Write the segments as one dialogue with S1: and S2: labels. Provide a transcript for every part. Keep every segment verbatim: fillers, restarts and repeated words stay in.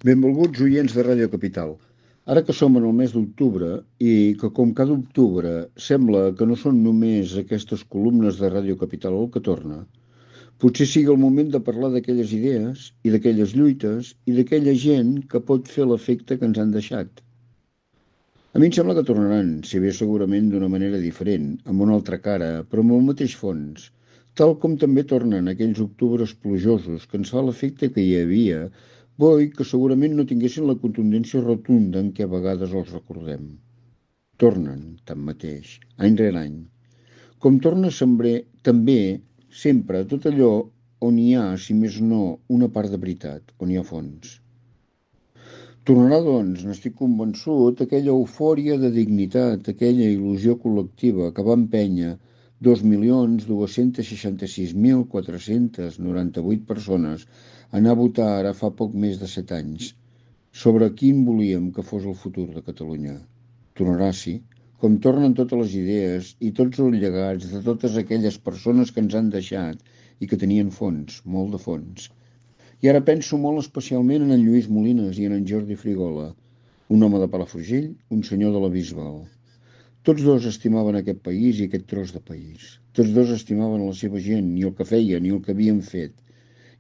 S1: Benvolguts oients de Ràdio Capital. Ara que som en el mes d'octubre i que com cada octubre sembla que no són només aquestes columnes de Ràdio Capital el que torna, potser sigui el moment de parlar d'aquelles idees i d'aquelles lluites i d'aquella gent que pot fer l'efecte que ens han deixat. A mi em sembla que tornaran, si bé segurament d'una manera diferent, amb una altra cara, però amb el mateix fons, tal com també tornen aquells octubres plujosos que ens fa l'efecte que hi havia, boi que segurament no tinguessin la contundència rotunda en què a vegades els recordem. Tornen, tanmateix, any rere any. Com torna sembrer, també, sempre, tot allò on hi ha, si més no, una part de veritat, on hi ha fons. Tornarà, doncs, n'estic convençut, aquella eufòria de dignitat, aquella il·lusió col·lectiva que va empènyer dos milions dos-cents seixanta-sis mil quatre-cents noranta-vuit persones a anar a votar ara fa poc més de set anys sobre quin volíem que fos el futur de Catalunya. Tornarà, sí, com tornen totes les idees i tots els llegats de totes aquelles persones que ens han deixat i que tenien fons, molt de fons. I ara penso molt especialment en en Lluís Molines i en en Jordi Frigola, un home de Palafrugell, un senyor de la Bisbal. Tots dos estimaven aquest país i aquest tros de país. Tots dos estimaven la seva gent, i el que feien, i el que havien fet.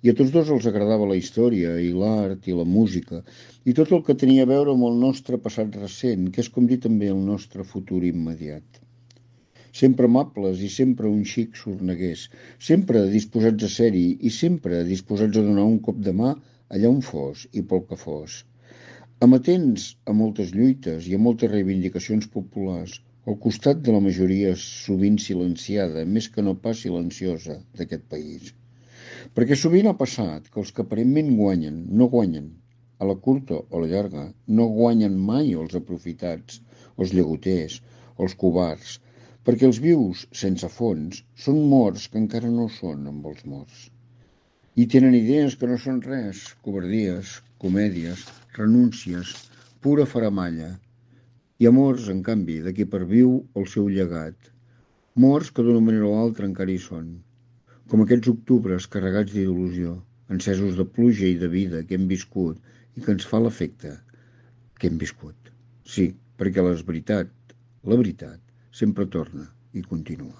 S1: I a tots dos els agradava la història, i l'art, i la música, i tot el que tenia a veure amb el nostre passat recent, que és com dir també el nostre futur immediat. Sempre amables i sempre un xic sorneguers, sempre disposats a ser-hi i sempre disposats a donar un cop de mà allà on fos i pel que fos. Amatents a moltes lluites i a moltes reivindicacions populars, al costat de la majoria sovint silenciada, més que no pas silenciosa, d'aquest país. Perquè sovint ha passat que els que aparentment guanyen, no guanyen, a la curta o a la llarga, no guanyen mai els aprofitats, els llagoters, els covards, perquè els vius sense fons són morts que encara no són amb els morts. I tenen idees que no són res, covardies, comèdies, renúncies, pura faramalla. Hi ha morts, en canvi, de qui perviu el seu llegat. Morts que d'una manera o altra encara hi són. Com aquests octubres carregats d'il·lusió, encesos de pluja i de vida que hem viscut i que ens fa l'efecte que hem viscut. Sí, perquè la veritat, la veritat, sempre torna i continua.